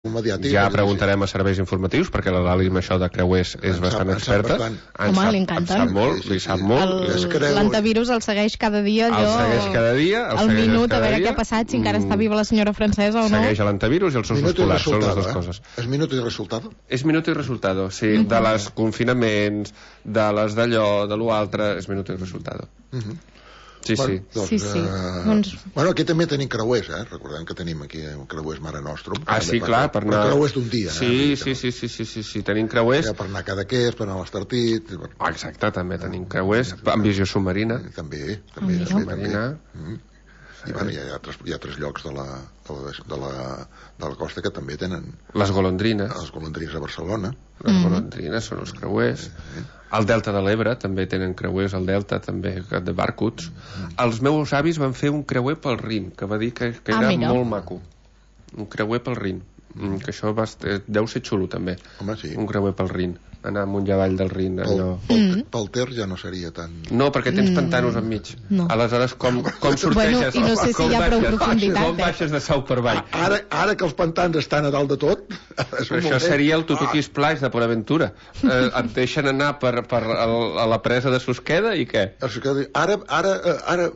mediàtic. Ja preguntarem a serveis informatius, perquè la Lali amb això de creuers és bastant experta. Home, li encanta. Li sap molt. L'antivirus el segueix cada dia, el segueix cada dia, al minut, a veure què ha passat, si encara està viva la senyora francesa o no. Segueix l'antivirus i els ossos polars, són les dues coses. És minuto i resultado? És minuto i resultado, sí. De les confinaments, de les d'allò, de l'altre, és minuto i resultado. Sí, bueno, sí. Doncs, bueno, aquí també tenim creuers, recordem que tenim aquí creuers Mare Nostrum. Sí, clar, per anar... Però creuers d'un dia. Sí, tenim creuers. Per anar a Cadaqués, per anar a l'Estartit... Exacte, també tenim creuers, amb visió submarina. També. I bueno, hi ha altres llocs de la costa que també tenen... Les golondrines. Les golondrines a Barcelona. Les golondrines són els creuers. Al Delta de l'Ebre també tenen creuers, al Delta també, de barcuts. Els meus avis van fer un creuer pel Rin, que va dir que era molt maco. Un creuer pel Rin. Que això deu ser xulo també. Home, sí. Un creuer pel Rin. Anar amunt i avall del Rin. Pel Ter ja no seria tan... No, perquè tens pantanos enmig. Aleshores, com sorteges? I no sé si hi ha prou profunditat. Com baixes de sau per avall? Ara que els pantans estan a dalt de tot... Això seria el Tutuquis Plage de Port Aventura. Et deixen anar a la presa de Susqueda i què? Ara,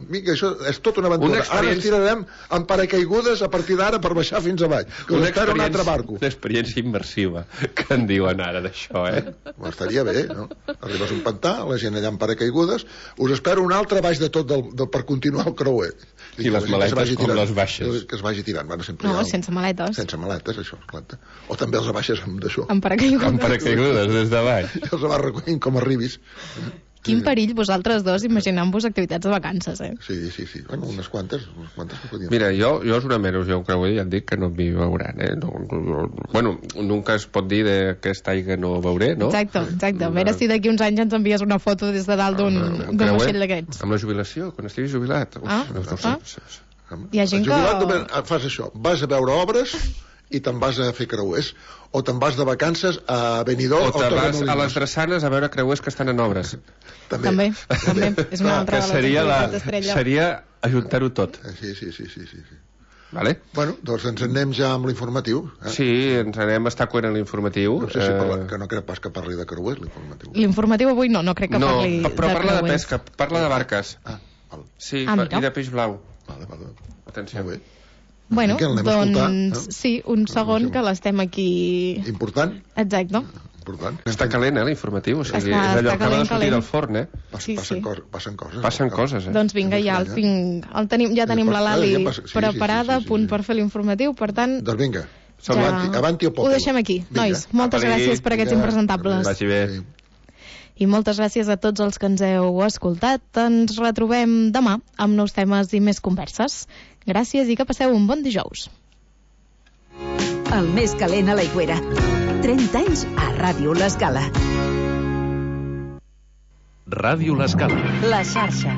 mica, això és tota una aventura. Ara ens tirarem amb paracaigudes a partir d'ara per baixar fins avall. Que us espera un altre barco. Una experiència immersiva, que en diuen ara d'això, Estaria bé, no? Arribes a un pantà, la gent allà amb paracaigudes, us espera un altre baix de tot per continuar el creuer. I les maletes com les baixes? Que es vagi tirant. No, sense maletes. Sense maletes, això, clar. O també els baixes amb d'això. Amb paracaigudes. Amb paracaigudes, des de baix. I els vas recollint com arribis. Quin perill vosaltres dos imaginant-vos activitats de vacances, Sí. Bueno, unes quantes Mira, jo jurament, jo creu ja et dic que no m'hi veuran, Bueno, nunca es pot dir d'aquesta aigua no veuré, no? Exacte. A veure si d'aquí uns anys ens envies una foto des de dalt d'un vaixell d'aquests. Amb la jubilació, quan estiguis jubilat. Hi ha gent que... Jubilat fas això, vas a veure obres i te'n vas a fer creuers, o te'n vas de vacances a Benidorm, o te'n vas a les drassanes a veure creuers que estan en obres. També. És una altra de les activitats estrella. Seria ajuntar-ho tot. Sí. Vale? Bueno, doncs ens anem ja amb l'informatiu. Sí, ens anem a estar coent en l'informatiu. No sé si que no crec pas que parli de creuers, l'informatiu. L'informatiu avui no crec que parli de creuers. Però parla de pesca, parla de barques. Val. Sí, i de peix blau. Vale. Atenció. Molt bé. Bueno, doncs sí, un segon que l'estem aquí... Important? Exacte. Important. Està calent, l'informatiu, o sigui, és allò que acaba de sortir del forn, Passen coses, Doncs vinga, ja tenim la Lali preparada, a punt per fer l'informatiu, per tant... Doncs vinga, avanti o poc. Ho deixem aquí, nois. Moltes gràcies per aquests impresentables. Vagi bé. I moltes gràcies a tots els que ens heu escoltat. Ens retrobem demà amb nous temes i més converses. Gràcies i que passeu un bon dijous. El més calent a l'Aigüera. 30 anys a Ràdio L'Escala. Ràdio L'Escala. La xarxa.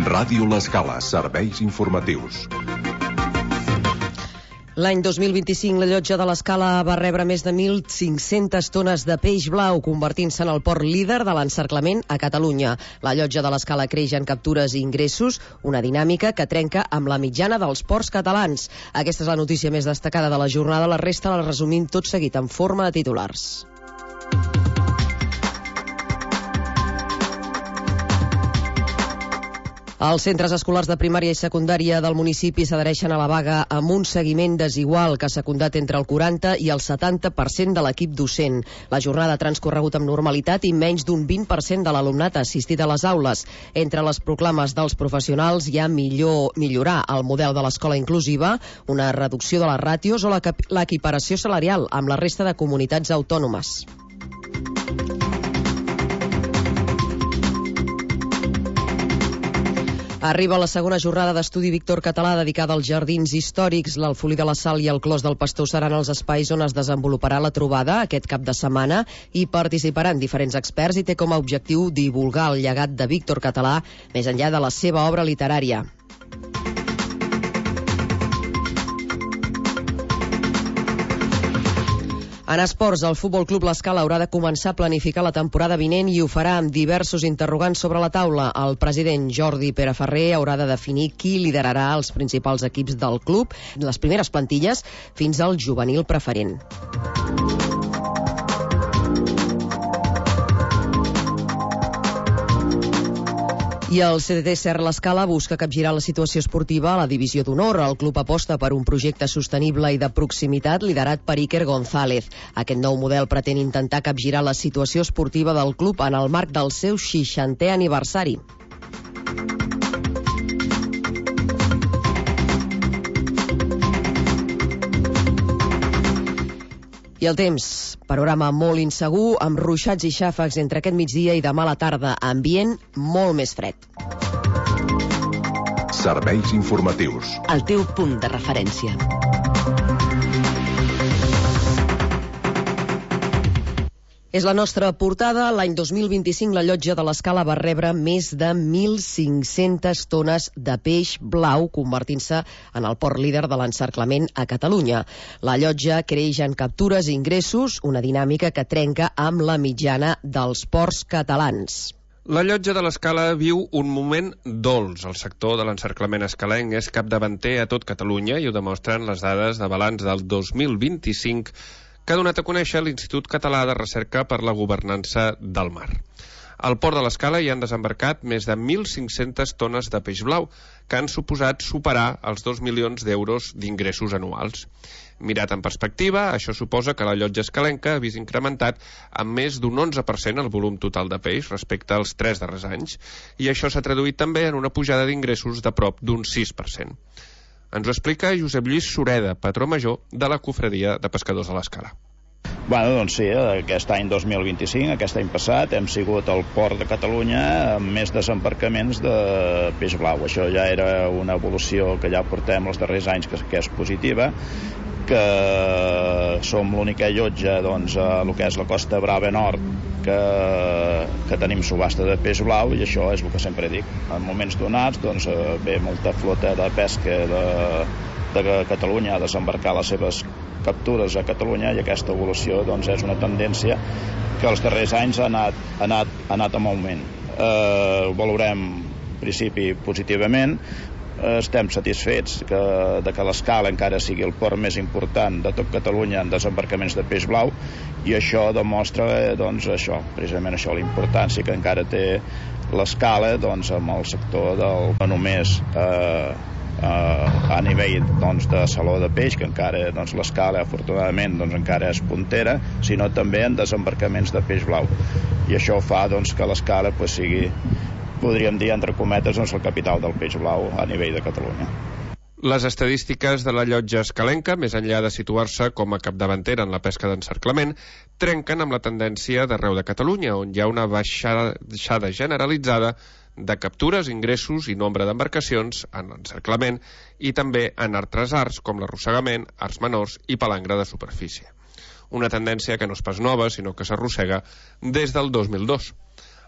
Ràdio L'Escala, serveis informatius. L'any 2025 la llotja de l'Escala va rebre més de 1.500 tones de peix blau, convertint-se en el port líder de l'encerclament a Catalunya. La llotja de l'Escala creix en captures i ingressos, una dinàmica que trenca amb la mitjana dels ports catalans. Aquesta és la notícia més destacada de la jornada, la resta la resumim tot seguit en forma de titulars. Els centres escolars de primària i secundària del municipi s'adhereixen a la vaga amb un seguiment desigual que s'ha secundat entre el 40 i el 70% de l'equip docent. La jornada ha transcorregut amb normalitat i menys d'un 20% de l'alumnat ha assistit a les aules. Entre les proclames dels professionals hi ha millorar el model de l'escola inclusiva, una reducció de les ràtios o l'equiparació salarial amb la resta de comunitats autònomes. Arriba la segona jornada d'estudi Víctor Català dedicada als jardins històrics. L'Alfolí de la Sal i el Clos del Pastor seran els espais on es desenvoluparà la trobada aquest cap de setmana i participaran diferents experts i té com a objectiu divulgar el llegat de Víctor Català més enllà de la seva obra literària. En esports, el Futbol Club L'Escala haurà de començar a planificar la temporada vinent i ho farà amb diversos interrogants sobre la taula. El president Jordi Peraferrer haurà de definir qui liderarà els principals equips del club, les primeres plantilles, fins al juvenil preferent. I el CDT Ser L'Escala busca capgirar la situació esportiva a la divisió d'honor. El club aposta per un projecte sostenible i de proximitat liderat per Iker González. Aquest nou model pretén intentar capgirar la situació esportiva del club en el marc del seu 60è aniversari. I el temps, panorama molt insegur, amb ruixats i xàfecs entre aquest migdia i demà a la tarda, ambient molt més fred. Serveis informatius. El teu punt de referència. És la nostra portada. L'any 2025 la llotja de l'Escala va rebre més de 1.500 tones de peix blau, convertint-se en el port líder de l'encerclament a Catalunya. La llotja creix en captures i ingressos, una dinàmica que trenca amb la mitjana dels ports catalans. La llotja de l'Escala viu un moment dolç. El sector de l'encerclament escalenc és capdavanter a tot Catalunya i ho demostren les dades de balanç del 2025 que ha donat a conèixer l'Institut Català de Recerca per la Governança del Mar. Al port de l'Escala hi han desembarcat més de 1.500 tones de peix blau, que han suposat superar els 2 milions d'euros d'ingressos anuals. Mirat en perspectiva, això suposa que la llotja escalenca ha vist incrementat amb més d'un 11% el volum total de peix respecte als 3 darrers anys, i això s'ha traduït també en una pujada d'ingressos de prop d'un 6%. Ens ho explica Josep Lluís Sureda, patró major de la Cofradia de Pescadors de l'Escala. Bueno, doncs sí, aquest any 2025, aquest any passat, hem sigut al port de Catalunya amb més desembarcaments de peix blau. Això ja era una evolució que ja portem els darrers anys que és positiva, que som l'única llotja doncs, a el que és la Costa Brava Nord que tenim subhasta de peix blau, i això és el que sempre dic. En moments donats doncs, ve molta flota de pesca de Catalunya a desembarcar les seves captures a Catalunya, i aquesta evolució doncs, és una tendència que els darrers anys ha anat en augment. Ho valorem en principi positivament. Estem satisfets de que l'Escala encara sigui el port més important de tot Catalunya en desembarcaments de peix blau, i això demostra doncs, precisament això, la importància que encara té l'Escala doncs, amb el sector no només a nivell doncs, de saló de peix, que encara doncs, l'Escala afortunadament doncs, encara és puntera, sinó també en desembarcaments de peix blau, i això fa doncs, que l'Escala pues, sigui, podríem dir, entre cometes, doncs, la capital del peix blau a nivell de Catalunya. Les estadístiques de la llotja escalenca, més enllà de situar-se com a capdavantera en la pesca d'encerclament, trenquen amb la tendència d'arreu de Catalunya, on hi ha una baixada generalitzada de captures, ingressos i nombre d'embarcacions en l'encerclament i també en altres arts com l'arrossegament, arts menors i palangre de superfície. Una tendència que no és pas nova, sinó que s'arrossega des del 2002.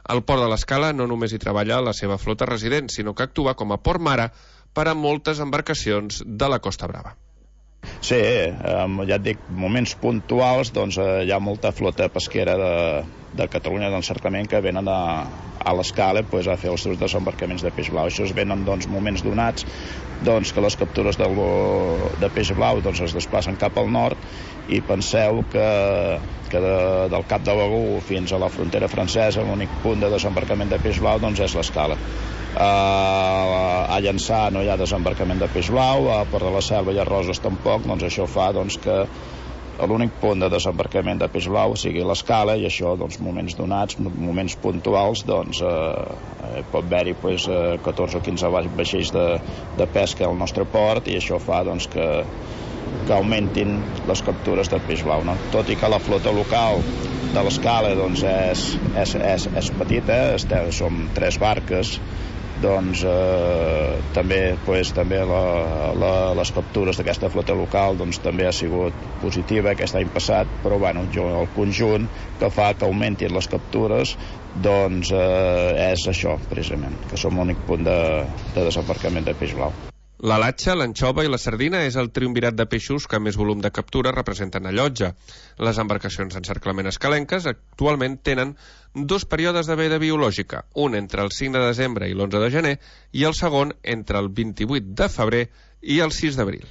El port de l'Escala no només hi treballa la seva flota resident, sinó que actua com a port mare per a moltes embarcacions de la Costa Brava. Sí, ja et dic, moments puntuals doncs, hi ha molta flota pesquera de Catalunya d'encerclament que venen a l'Escala pues, a fer els seus desembarcaments de peix blau. Això es venen doncs, moments donats doncs, que les captures de peix blau doncs, es desplacen cap al nord, i penseu que del Cap de Begur fins a la frontera francesa l'únic punt de desembarcament de peix blau doncs, és l'Escala. A Llançà no hi ha desembarcament de peix blau, a Port de la Selva i a Roses tampoc, doncs això fa doncs, que l'únic punt de desembarcament de peix blau sigui l'Escala, i això, doncs, moments donats, moments puntuals, doncs, pot haver-hi pues, 14 o 15 vaixells de pesca al nostre port, i això fa doncs, que augmentin les captures de peix blau. No? Tot i que la flota local de l'Escala doncs, és petita, som 3 barques, doncs també les captures d'aquesta flota local doncs, també ha sigut positiva aquest any passat, però bueno, el conjunt que fa que augmentin les captures doncs és això, precisament, que som l'únic punt de desembarcament de peix blau. La latxa, l'anxova i la sardina és el triumvirat de peixos que més volum de captura representen a Llotja. Les embarcacions d'encerclament escalenques actualment tenen 2 períodes de veda biològica, un entre el 5 de desembre i l'11 de gener i el segon entre el 28 de febrer i el 6 d'abril.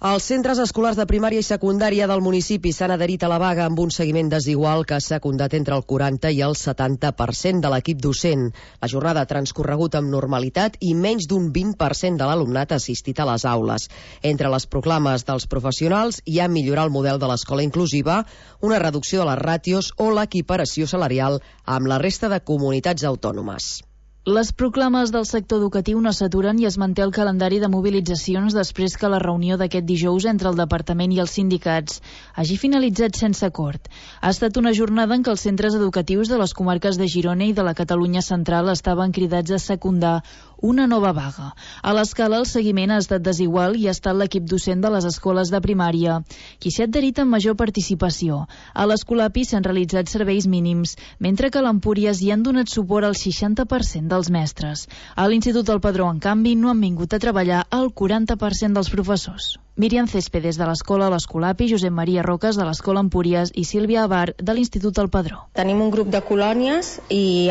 Els centres escolars de primària i secundària del municipi s'han adherit a la vaga amb un seguiment desigual que ha secundat entre el 40 i el 70% de l'equip docent. La jornada ha transcorregut amb normalitat i menys d'un 20% de l'alumnat ha assistit a les aules. Entre les proclames dels professionals hi ha millorar el model de l'escola inclusiva, una reducció de les ràtios o l'equiparació salarial amb la resta de comunitats autònomes. Les proclames del sector educatiu no s'aturen i es manté el calendari de mobilitzacions després que la reunió d'aquest dijous entre el departament i els sindicats hagi finalitzat sense acord. Ha estat una jornada en què els centres educatius de les comarques de Girona i de la Catalunya central estaven cridats a secundar una nova vaga. A l'escala el seguiment ha estat desigual i ha estat l'equip docent de les escoles de primària, qui s'ha adherit amb major participació. A l'Escolapi s'han realitzat serveis mínims, mentre que a l'Empúries hi han donat suport al 60% dels mestres. A l'Institut del Padró, en canvi, no han vingut a treballar el 40% dels professors. Míriam Céspedes de l'escola l'Escolapi, Josep Maria Roques de l'escola Empúries i Sílvia Abar de l'Institut del Padró. Tenim un grup de colònies i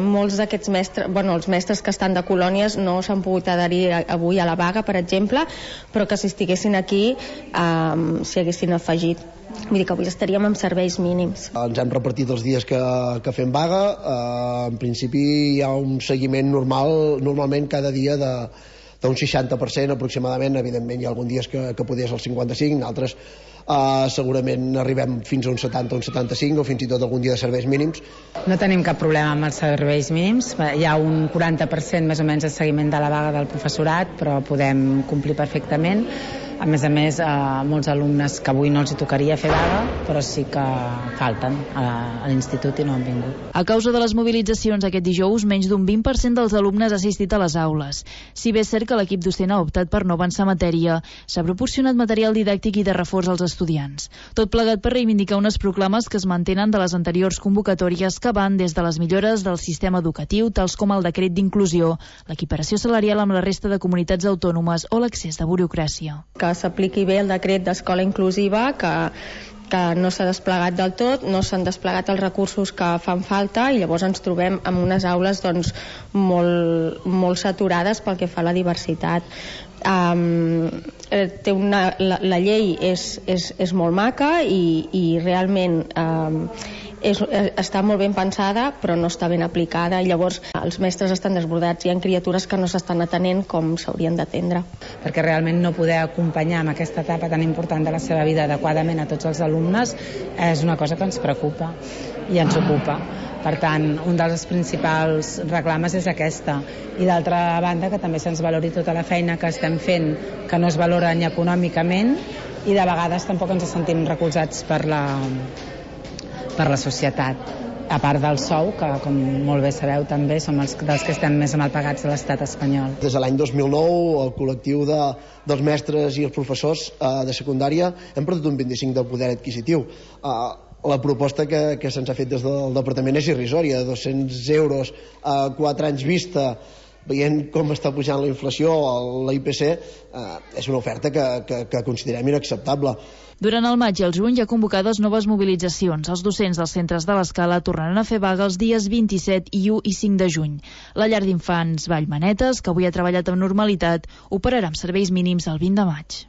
molts d'aquests mestres, els mestres que estan de colònies no s'han pogut adherir avui a la vaga, per exemple, però que si estiguessin aquí s'hi haguessin afegit. Vull dir que avui estaríem amb serveis mínims. Ens hem repartit els dies que fem vaga. En principi hi ha un seguiment normalment cada dia d'un 60% aproximadament. Evidentment hi ha alguns dies que podria ser el 55, altres segurament arribem fins a un 70 o un 75 o fins i tot algun dia de serveis mínims. No tenim cap problema amb els serveis mínims. Hi ha un 40% més o menys de seguiment de la vaga del professorat, però podem complir perfectament. A més, molts alumnes que avui no els hi tocaria fer vaga, però sí que falten a l'institut i no han vingut. A causa de les mobilitzacions aquest dijous, menys d'un 20% dels alumnes ha assistit a les aules. Si bé és cert que l'equip docent ha optat per no avançar matèria, s'ha proporcionat material didàctic i de reforç als estudiants. Tot plegat per reivindicar unes proclames que es mantenen de les anteriors convocatòries que van des de les millores del sistema educatiu, tals com el decret d'inclusió, l'equiparació salarial amb la resta de comunitats autònomes o l'accés de burocràcia. Que s'apliqui bé el decret d'escola inclusiva, que no s'ha desplegat del tot, no s'han desplegat els recursos que fan falta i llavors ens trobem amb unes aules molt saturades pel que fa a la diversitat. La llei és molt maca i realment està molt ben pensada però no està ben aplicada i llavors els mestres estan desbordats, hi ha criatures que no s'estan atenent com s'haurien d'atendre. Perquè realment no poder acompanyar en aquesta etapa tan important de la seva vida adequadament a tots els alumnes és una cosa que ens preocupa i ens ocupa. Per tant, un dels principals reclames és aquesta. I d'altra banda, que també se'ns valori tota la feina que estem fent, que no es valora ni econòmicament i de vegades tampoc ens sentim recolzats per la societat, a part del sou, que com molt bé sabeu també som dels que estem més mal pagats de l'estat espanyol. Des de l'any 2009 el col·lectiu dels mestres i els professors de secundària hem perdut un 25% del poder adquisitiu. La proposta que se'ns ha fet des del departament és irrisòria, 200 euros a 4 anys vista, veient com està pujant la inflació, la IPC, és una oferta que considerem inacceptable. Durant el maig i el juny hi ha convocades noves mobilitzacions. Els docents dels centres de l'Escala tornaran a fer vaga els dies 27 i 1 i 5 de juny. La llar d'infants Vallmanetes, que avui ha treballat amb normalitat, operarà amb serveis mínims el 20 de maig.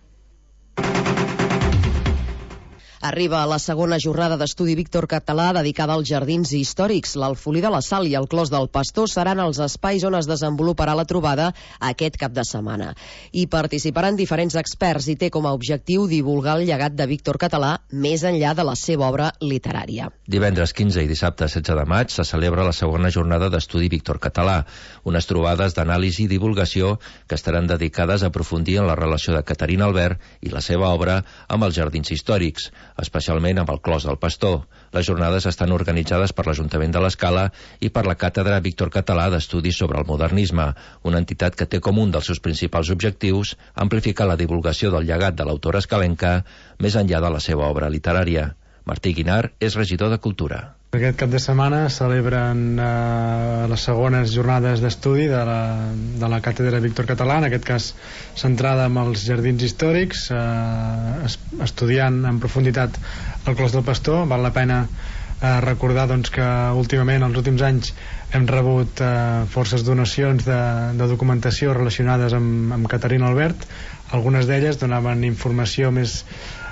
Arriba la segona jornada d'estudi Víctor Català dedicada als jardins històrics. L'Alfolí de la Sal i el Clos del Pastor seran els espais on es desenvoluparà la trobada aquest cap de setmana. Hi participaran diferents experts i té com a objectiu divulgar el llegat de Víctor Català més enllà de la seva obra literària. Divendres 15 i dissabte 16 de maig se celebra la segona jornada d'estudi Víctor Català, unes trobades d'anàlisi i divulgació que estaran dedicades a aprofundir en la relació de Caterina Albert i la seva obra amb els jardins històrics, especialment amb el Clos del Pastor. Les jornades estan organitzades per l'Ajuntament de l'Escala i per la Càtedra Víctor Català d'Estudis sobre el Modernisme, una entitat que té com un dels seus principals objectius amplificar la divulgació del llegat de l'autora escalenca més enllà de la seva obra literària. Martí Guinar és regidor de Cultura. Aquest cap de setmana celebren les segones jornades d'estudi de la càtedra Víctor Català, en aquest cas centrada en els jardins històrics, estudiant en profunditat el Clos del Pastor. Val la pena recordar que últimament, els últims anys, hem rebut forces donacions de documentació relacionades amb Caterina Albert. Algunes d'elles donaven informació més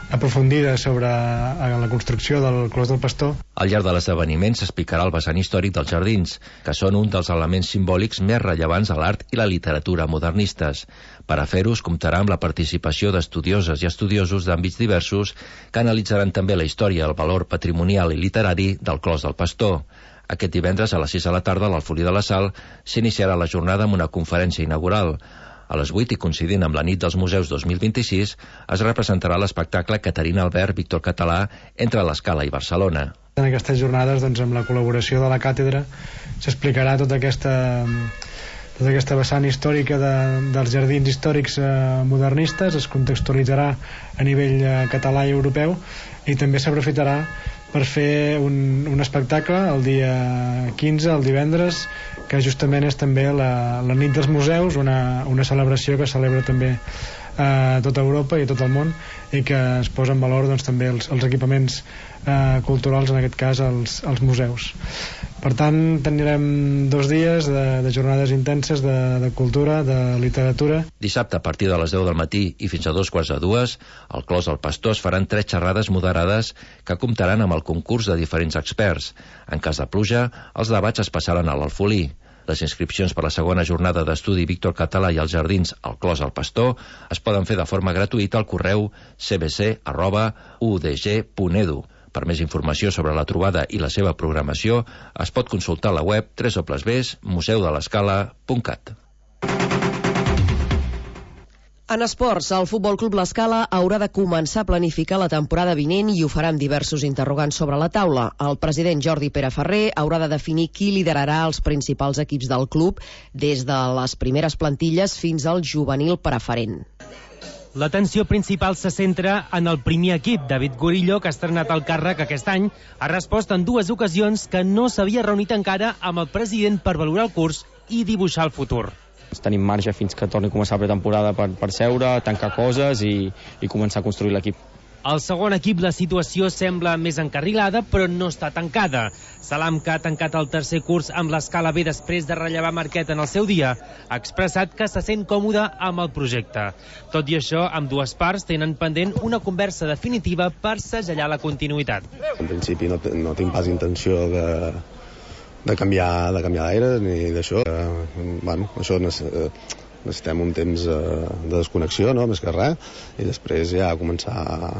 aprofundida sobre la construcció del Clos del Pastor. Al llarg de l'esdeveniment s'explicarà el vessant històric dels jardins, que són un dels elements simbòlics més rellevants a l'art i la literatura modernistes. Per a fer-ho es comptarà amb la participació d'estudioses i estudiosos d'àmbits diversos que analitzaran també la història, el valor patrimonial i literari del Clos del Pastor. Aquest divendres a les 6 de la tarda a l'Alfolí de la Sal s'iniciarà la jornada amb una conferència inaugural. A les 8, i coincidint amb la nit dels museus 2026, es representarà l'espectacle Caterina Albert, Víctor Català, entre l'Escala i Barcelona. En aquestes jornades, amb la col·laboració de la càtedra, s'explicarà tota aquesta vessant històrica dels jardins històrics modernistes, es contextualitzarà a nivell català i europeu, i també s'aprofitarà per fer un espectacle el dia 15, el divendres, que justament és també la nit dels museus, una celebració que celebra també a tota Europa i a tot el món, i que es posa en valor també els equipaments culturals, en aquest cas els museus. Per tant, tindrem 2 dies de jornades intenses de cultura, de literatura. Dissabte, a partir de les 10 del matí i fins a 2:45, al Clos del Pastor es faran 3 xerrades moderades que comptaran amb el concurs de diferents experts. En cas de pluja, els debats es passaran a l'Alfolí. Les inscripcions per la segona jornada d'estudi Víctor Català i els jardins al Clos del Pastor es poden fer de forma gratuïta al correu cbc@udg.edu. Per més informació sobre la trobada i la seva programació es pot consultar a la web www.museudelescala.cat. En esports, el Futbol Club L'Escala haurà de començar a planificar la temporada vinent i ho farà amb diversos interrogants sobre la taula. El president Jordi Pere Ferrer haurà de definir qui liderarà els principals equips del club, des de les primeres plantilles fins al juvenil preferent. L'atenció principal se centra en el primer equip. David Gorillo, que ha estrenat el càrrec aquest any, ha respost en 2 ocasions que no s'havia reunit encara amb el president per valorar el curs i dibuixar el futur. Tenim marge fins que torni a començar la pretemporada per seure, tancar coses i començar a construir l'equip. Al segon equip la situació sembla més encarrilada, però no està tancada. Salam, que ha tancat el tercer curs amb l'Escala B després de rellevar Marquet en el seu dia, ha expressat que se sent còmode amb el projecte. Tot i això, ambdues parts tenen pendent una conversa definitiva per segellar la continuïtat. En principi no tinc pas intenció de canviar d'aire ni d'això. Això necessitem un temps de desconnexió, no? Més que res, i després ja començar a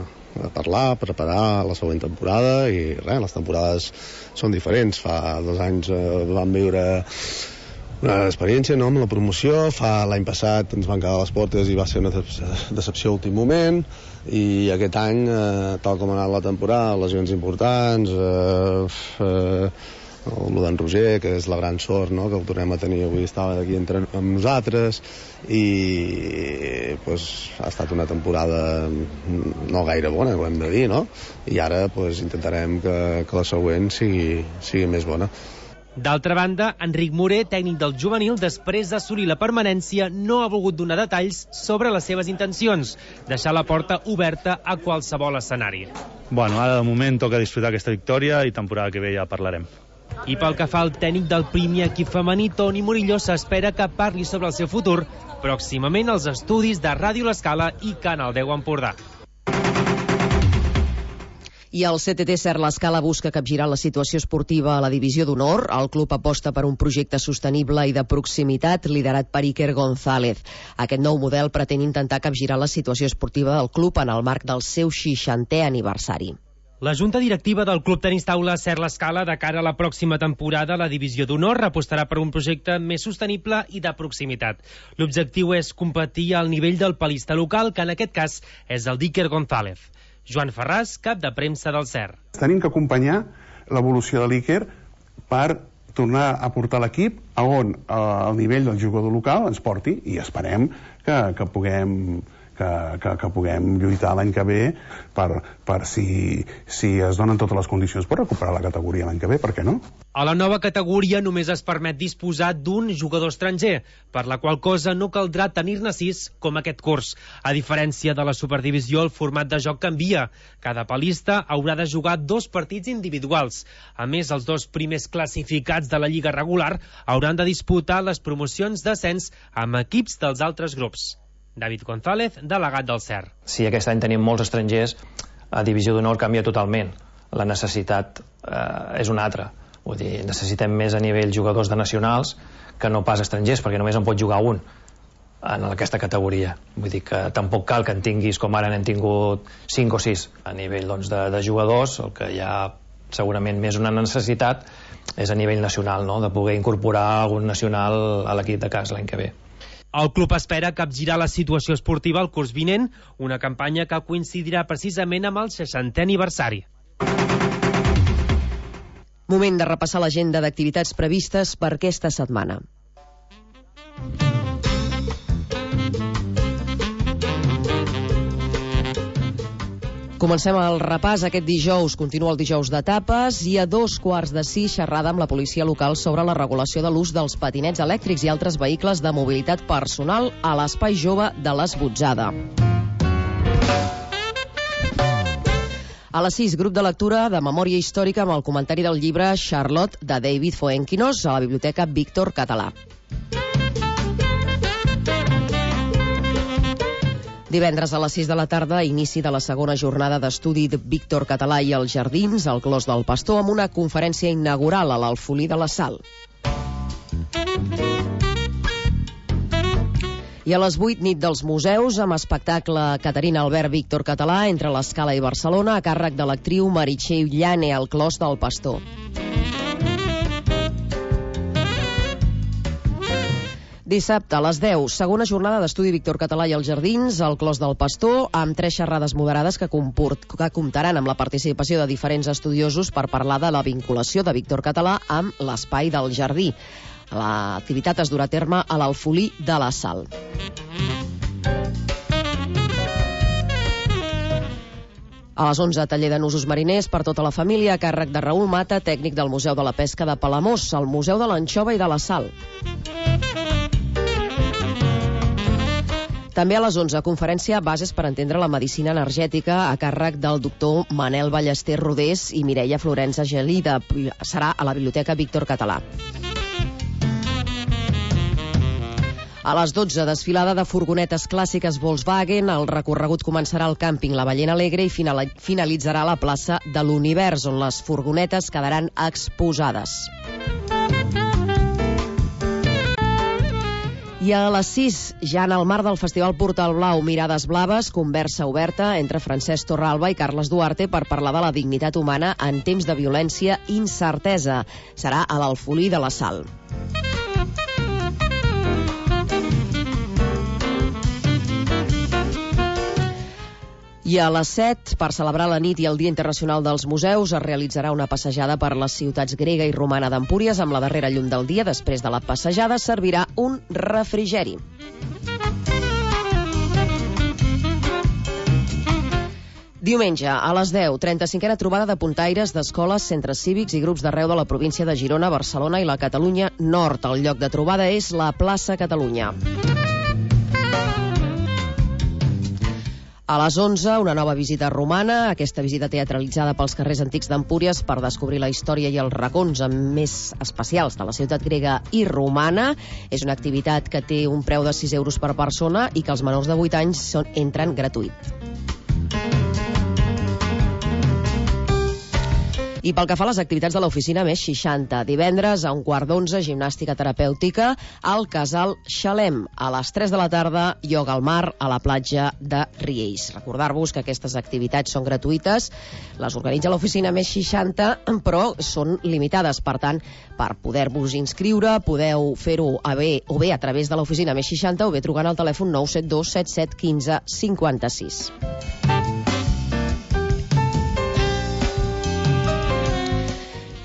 parlar, a preparar la següent temporada, i res, les temporades són diferents. Fa 2 anys vam viure una experiència, no?, amb la promoció. L'any passat ens van quedar a les portes i va ser una decepció a últim moment, i aquest any, tal com ha anat la temporada, lesions importants, el d'en Roger, que és la gran sort, no?, que el tornem a tenir avui, estava aquí amb nosaltres, i ha estat una temporada no gaire bona, ho hem de dir, no? I ara intentarem que la següent sigui més bona. D'altra banda, Enric Moré, tècnic del juvenil, després d'assolir la permanència, no ha volgut donar detalls sobre les seves intencions, deixar la porta oberta a qualsevol escenari. Ara de moment toca disfrutar aquesta victòria i temporada que ve ja parlarem. I pel que fa al tècnic del primer equip femení, Toni Murillo, s'espera que parli sobre el seu futur pròximament als estudis de Ràdio L'Escala i Canal 10 Empordà. I el CTT Ser L'Escala busca capgirar la situació esportiva a la divisió d'honor. El club aposta per un projecte sostenible i de proximitat liderat per Iker González. Aquest nou model pretén intentar capgirar la situació esportiva del club en el marc del seu 60è aniversari. La Junta Directiva del Club Tenis Taula Ser L'Escala, de cara a la pròxima temporada a la divisió d'honor, apostarà per un projecte més sostenible i de proximitat. L'objectiu és competir al nivell del palista local, que en aquest cas és el d'Iker González. Joan Ferràs, cap de premsa del CER. Tenim que acompanyar l'evolució de l'Iker per tornar a portar l'equip a on el nivell del jugador local ens porti, i esperem que puguem que puguem lluitar l'any que ve per si es donen totes les condicions per recuperar la categoria l'any que ve, per què no? A la nova categoria només es permet disposar d'un jugador estranger, per la qual cosa no caldrà tenir-ne 6 com aquest curs. A diferència de la Superdivisió, el format de joc canvia. Cada palista haurà de jugar 2 partits individuals. A més, els 2 primers classificats de la Lliga regular hauran de disputar les promocions d'ascens amb equips dels altres grups. David González, delegat del CER. Si aquest any tenim molts estrangers, a Divisió d'Honor canvia totalment. La necessitat és una altra. Vull dir, necessitem més a nivell jugadors de nacionals que no pas estrangers, perquè només en pot jugar un en aquesta categoria. Vull dir que tampoc cal que en tinguis, com ara n'hem tingut 5 o 6. A nivell de jugadors, el que hi ha segurament més una necessitat és a nivell nacional, no? De poder incorporar algun nacional a l'equip de casa l'any que ve. El club espera capgirar la situació esportiva el curs vinent, una campanya que coincidirà precisament amb el 60è aniversari. Moment de repassar l'agenda d'activitats previstes per aquesta setmana. Comencem el repàs. Aquest dijous continua el dijous d'etapes i a 5:15 xerrada amb la policia local sobre la regulació de l'ús dels patinets elèctrics i altres vehicles de mobilitat personal a l'Espai Jove de l'Esbotzada. A les 6, grup de lectura de memòria històrica amb el comentari del llibre Charlotte de David Fuenquinos a la Biblioteca Víctor Català. Divendres a les 6 de la tarda, inici de la segona jornada d'estudi de Víctor Català i els Jardins al Clos del Pastor amb una conferència inaugural a l'Alfolí de la Sal. I a les 8, nit dels museus, amb espectacle Caterina Albert Víctor Català entre l'Escala i Barcelona, a càrrec de l'actriu Meritxell Llane al Clos del Pastor. Dissabte a les 10, segona jornada d'estudi Víctor Català i els Jardins al Clos del Pastor, amb 3 xerrades moderades que comptaran amb la participació de diferents estudiosos per parlar de la vinculació de Víctor Català amb l'Espai del Jardí. L'activitat es durà a terme a l'Alfolí de la Sal. A les 11, taller de nusos mariners per tota la família a càrrec de Raül Mata, tècnic del Museu de la Pesca de Palamós, al Museu de l'Anxova i de la Sal. També a les 11, conferència Bases per entendre la medicina energètica a càrrec del doctor Manel Ballester Rodés i Mireia Florença Gelida. Serà a la Biblioteca Víctor Català. A les 12, desfilada de furgonetes clàssiques Volkswagen. El recorregut començarà al càmping La Ballena Alegre i finalitzarà a la plaça de l'Univers, on les furgonetes quedaran exposades. I a les 6, ja en el marc del Festival Portal Blau Mirades Blaves, conversa oberta entre Francesc Torralba i Carles Duarte per parlar de la dignitat humana en temps de violència i incertesa. Serà a l'Alfolí de la Sal. I a les 7, per celebrar la nit i el Dia Internacional dels Museus, es realitzarà una passejada per les ciutats grega i romana d'Empúries amb la darrera llum del dia. Després de la passejada servirà un refrigeri. Diumenge, a les 10, 35a trobada de puntaires d'escoles, centres cívics i grups d'arreu de la província de Girona, Barcelona i la Catalunya Nord. El lloc de trobada és la plaça Catalunya. A les 11, una nova visita romana, aquesta visita teatralitzada pels carrers antics d'Empúries per descobrir la història i els racons més especials de la ciutat grega i romana. És una activitat que té un preu de 6 euros per persona i que els menors de 8 anys entren gratuït. I pel que fa a les activitats de l'oficina més 60, divendres a 11:15, gimnàstica terapèutica al Casal Xalem. A les 3 de la tarda, ioga al mar a la platja de Riells. Recordar-vos que aquestes activitats són gratuïtes, les organitza l'oficina més 60, però són limitades. Per tant, per poder-vos inscriure, podeu fer-ho o bé a través de l'oficina més 60 o bé trucant al telèfon 972 77 15 56.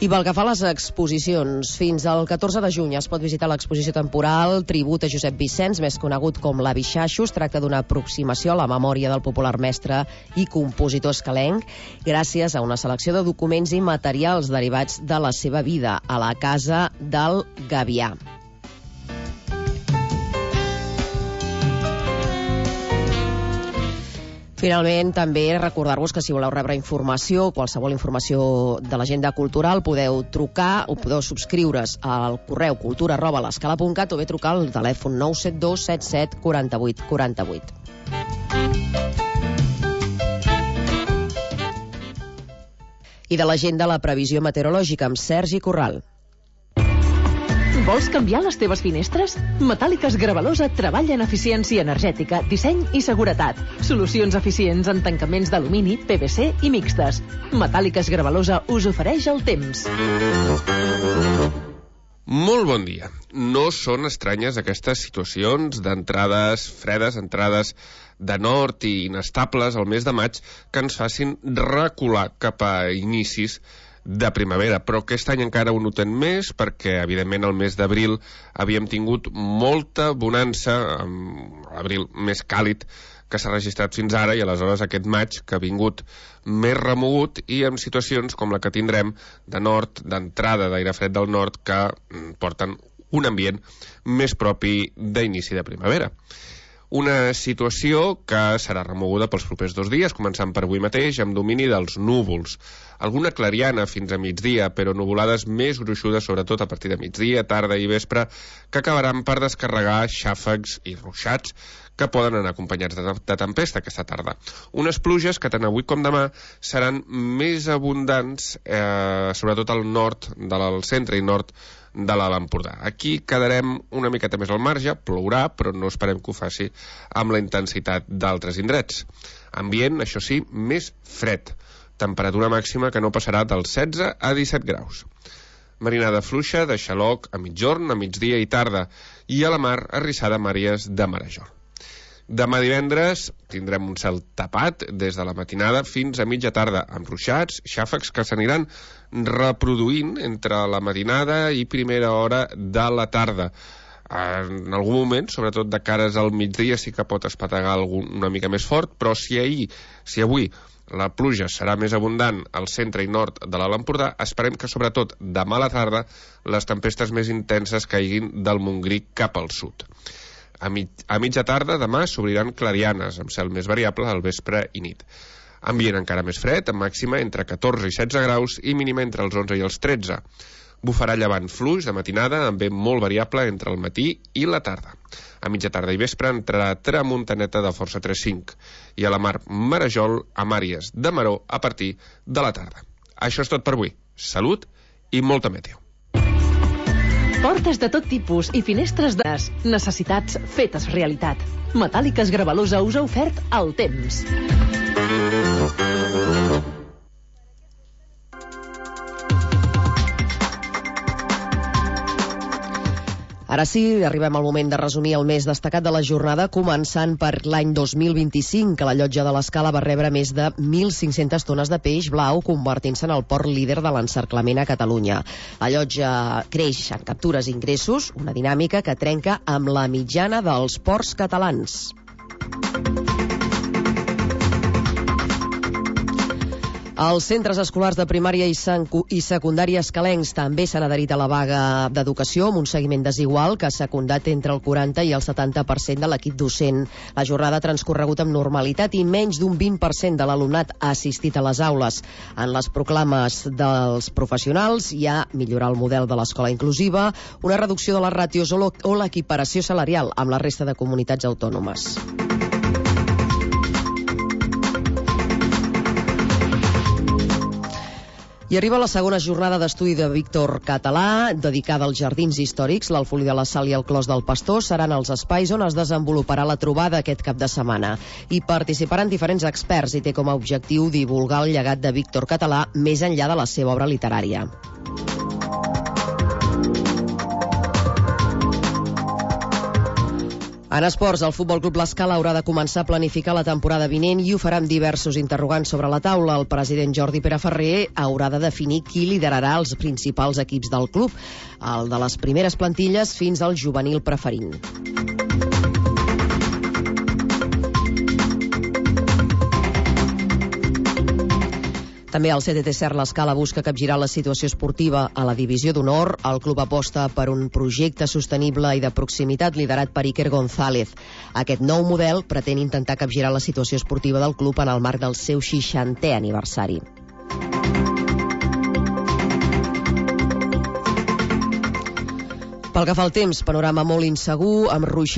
I pel que fa a les exposicions, fins al 14 de juny es pot visitar l'exposició temporal Tribut a Josep Vicenç, més conegut com l'Avi Xaixo. Es tracta d'una aproximació a la memòria del popular mestre i compositor escalenc, gràcies a una selecció de documents i materials derivats de la seva vida a la Casa del Gavià. Finalment, també recordar-vos que si voleu rebre informació, qualsevol informació de l'agenda cultural, podeu trucar o podeu subscriure's al correu cultura@l'escala.cat o bé trucar al telèfon 972 77 48 48. I de l'agenda, la previsió meteorològica amb Sergi Corral. Vols canviar les teves finestres? Metàl·liques Gravalosa treballa en eficiència energètica, disseny i seguretat. Solucions eficients en tancaments d'alumini, PVC i mixtes. Metàl·liques Gravalosa us ofereix el temps. Molt bon dia. No són estranyes aquestes situacions d'entrades fredes, entrades de nord i inestables al mes de maig que ens facin recular cap a inicis de primavera, però aquest any encara ho notem més perquè, evidentment, el mes d'abril havíem tingut molta bonança, l'abril més càlid que s'ha registrat fins ara, i aleshores aquest maig que ha vingut més remogut i amb situacions com la que tindrem de nord, d'entrada d'aire fred del nord, que porten un ambient més propi d'inici de primavera. Una situació que serà remoguda pels propers 2 dies, començant per avui mateix, amb domini dels núvols. Alguna clariana fins a migdia, però nuvolades més gruixudes, sobretot a partir de migdia, tarda i vespre, que acabaran per descarregar xàfecs i ruixats que poden anar acompanyats de tempesta aquesta tarda. Unes pluges que tant avui com demà seran més abundants, sobretot al nord, del centre i nord de l'Alt Empordà. Aquí quedarem una miqueta més al marge, plourà, però no esperem que ho faci amb la intensitat d'altres indrets. Ambient, això sí, més fred. Temperatura màxima que no passarà dels 16 a 17 graus. Marinada fluixa de xaloc a mitjorn, a migdia i tarda, i a la mar arrissada amb àrees de marejol. Demà divendres tindrem un cel tapat des de la matinada fins a mitja tarda, amb ruixats, xàfecs que s'aniran reproduint entre la matinada i primera hora de la tarda. En algun moment, sobretot de cares al migdia, sí que pot espetegar una mica més fort, però si avui la pluja serà més abundant al centre i nord de l'Alt Empordà, esperem que sobretot demà a la tarda les tempestes més intenses caiguin del Montgrí cap al sud. A mitja tarda demà s'obriran clarianes, amb cel més variable al vespre i nit. Ambient encara més fred, amb màxima entre 14 i 16 graus i mínima entre els 11 i els 13. Bufarà llevant fluix de matinada, amb vent molt variable entre el matí i la tarda. A mitja tarda i vespre entrarà tramuntaneta de força 3-5 i a la mar marejol amb àrees de maror a partir de la tarda. Això és tot per avui. Salut i molta meteo. Portes de tot tipus i finestres de necessitats fetes realitat. Metàl·liques Gravalosa us ha ofert el temps. Ara sí, arribem al moment de resumir el més destacat de la jornada, començant per l'any 2025, que la llotja de l'Escala va rebre més de 1.500 tones de peix blau, convertint-se en el port líder de l'encerclament a Catalunya. La llotja creix en captures i ingressos, una dinàmica que trenca amb la mitjana dels ports catalans. Els centres escolars de primària i secundària escalencs també s'han adherit a la vaga d'educació amb un seguiment desigual que ha secundat entre el 40 i el 70% de l'equip docent. La jornada ha transcorregut amb normalitat i menys d'un 20% de l'alumnat ha assistit a les aules. En les proclames dels professionals hi ha millorar el model de l'escola inclusiva, una reducció de les ràtios o l'equiparació salarial amb la resta de comunitats autònomes. I arriba la segona jornada d'estudi de Víctor Català, dedicada als jardins històrics. L'Alfolí de la Sal i el Clos del Pastor seran els espais on es desenvoluparà la trobada aquest cap de setmana. Hi participaran diferents experts i té com a objectiu divulgar el llegat de Víctor Català més enllà de la seva obra literària. En esports, el Futbol Club L'Escala haurà de començar a planificar la temporada vinent i ho farà amb diversos interrogants sobre la taula. El president Jordi Pere Ferrer haurà de definir qui liderarà els principals equips del club, el de les primeres plantilles fins al juvenil preferent. També el CTT Cert L'Escala busca capgirar la situació esportiva a la divisió d'honor. El club aposta per un projecte sostenible i de proximitat liderat per Iker González. Aquest nou model pretén intentar capgirar la situació esportiva del club en el marc del seu 60è aniversari. Pel que fa al temps, panorama molt insegur, amb ruixats